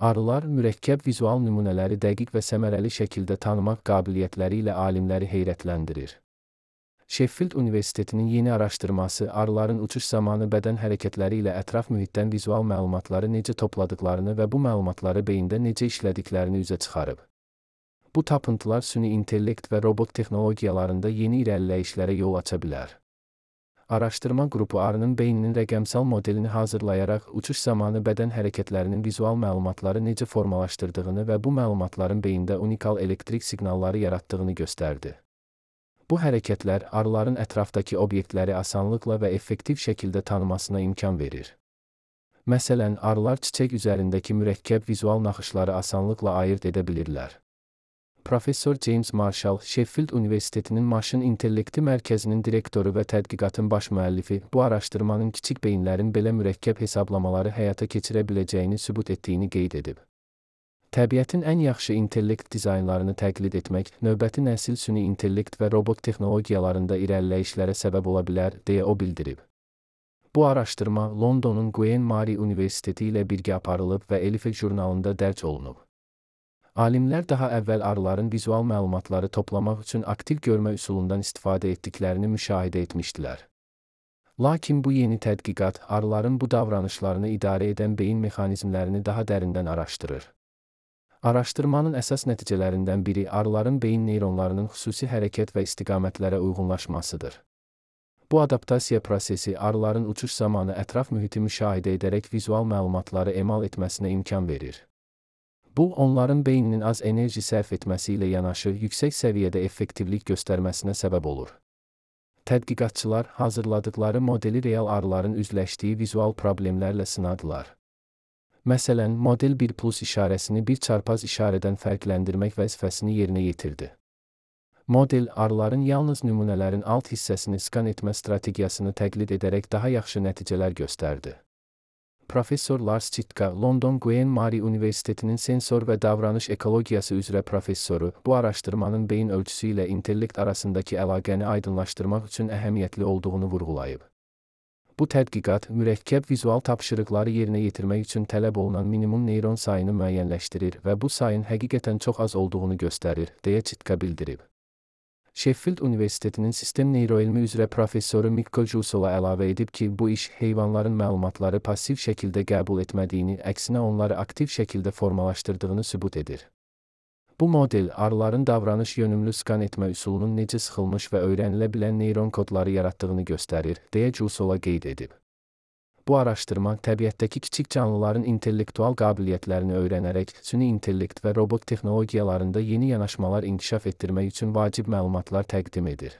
Arılar mürəkkəb vizual nümunələri dəqiq və səmərəli şəkildə tanımaq qabiliyyətləri ilə alimləri heyrətləndirir. Sheffield Universitetinin yeni araşdırması arıların uçuş zamanı bədən hərəkətləri ilə ətraf mühitdən vizual məlumatları necə topladıqlarını və bu məlumatları beyində necə işlədiklərini üzə çıxarıb. Bu tapıntılar süni intellekt və robot texnologiyalarında yeni irəliləyişlərə yol aça bilər. Araşdırma qrupu arının beyninin rəqəmsal modelini hazırlayaraq uçuş zamanı bədən hərəkətlərinin vizual məlumatları necə formalaşdırdığını və bu məlumatların beyində unikal elektrik siqnalları yaratdığını göstərdi. Bu hərəkətlər arıların ətrafdakı obyektləri asanlıqla və effektiv şəkildə tanımasına imkan verir. Məsələn, arılar çiçək üzərindəki mürəkkəb vizual naxışları asanlıqla ayırd edə bilirlər. Professor James Marshall, Sheffield Universitetinin Maşın İntellekti Mərkəzinin direktoru və tədqiqatın baş müəllifi, bu araşdırmanın kiçik beyinlərin belə mürəkkəb hesablamaları həyata keçirə biləcəyini sübut etdiyini qeyd edib. Təbiətin ən yaxşı intellekt dizaynlarını təqlid etmək, növbəti nəsil süni intellekt və robot texnologiyalarında irəliləyişlərə səbəb ola bilər, deyə o bildirib. Bu araşdırma Londonun Queen Mary Universiteti ilə birgə aparılıb və Elifek jurnalında dərc olunub. Alimlər daha əvvəl arıların vizual məlumatları toplamaq üçün aktiv görmə üsulundan istifadə etdiklərini müşahidə etmişdilər. Lakin bu yeni tədqiqat arıların bu davranışlarını idarə edən beyin mexanizmlərini daha dərindən araşdırır. Araşdırmanın əsas nəticələrindən biri arıların beyin neyronlarının xüsusi hərəkət və istiqamətlərə uyğunlaşmasıdır. Bu adaptasiya prosesi arıların uçuş zamanı ətraf mühiti müşahidə edərək vizual məlumatları emal etməsinə imkan verir. Bu, onların beyninin az enerji sərf etməsi ilə yanaşı yüksək səviyyədə effektivlik göstərməsinə səbəb olur. Tədqiqatçılar hazırladıkları modeli real arıların üzləşdiyi vizual problemlərlə sınadılar. Məsələn, model 1+ işarəsini bir çarpaz işarədən fərqləndirmək vəzifəsini yerinə yetirdi. Model, arıların yalnız nümunələrin alt hissəsini skan etmə strategiyasını təqlid edərək daha yaxşı nəticələr göstərdi. Professor Lars Chitka, London Queen Mary Universitetinin sensor və davranış ekologiyası üzrə professoru, bu araşdırmanın beyin ölçüsü ilə intellekt arasındakı əlaqəni aydınlaşdırmaq üçün əhəmiyyətli olduğunu vurğulayıb. Bu tədqiqat, mürəkkəb vizual tapşırıqları yerinə yetirmək üçün tələb olunan minimum neyron sayını müəyyənləşdirir və bu sayın həqiqətən çox az olduğunu göstərir, deyə Chitka bildirib. Sheffield Universitetinin sistem neyroelmi üzrə professoru Mikko Jusola əlavə edib ki, bu iş heyvanların məlumatları passiv şəkildə qəbul etmədiyini, əksinə onları aktiv şəkildə formalaşdırdığını sübut edir. Bu model, arıların davranış yönümlü skan etmə üsulunun necə sıxılmış və öyrənilə bilən neyron kodları yaratdığını göstərir, deyə Jusola qeyd edib. Bu araşdırma, təbiətdəki kiçik canlıların intellektual qabiliyyətlərini öyrənərək, süni intellekt və robot texnologiyalarında yeni yanaşmalar inkişaf etdirmək üçün vacib məlumatlar təqdim edir.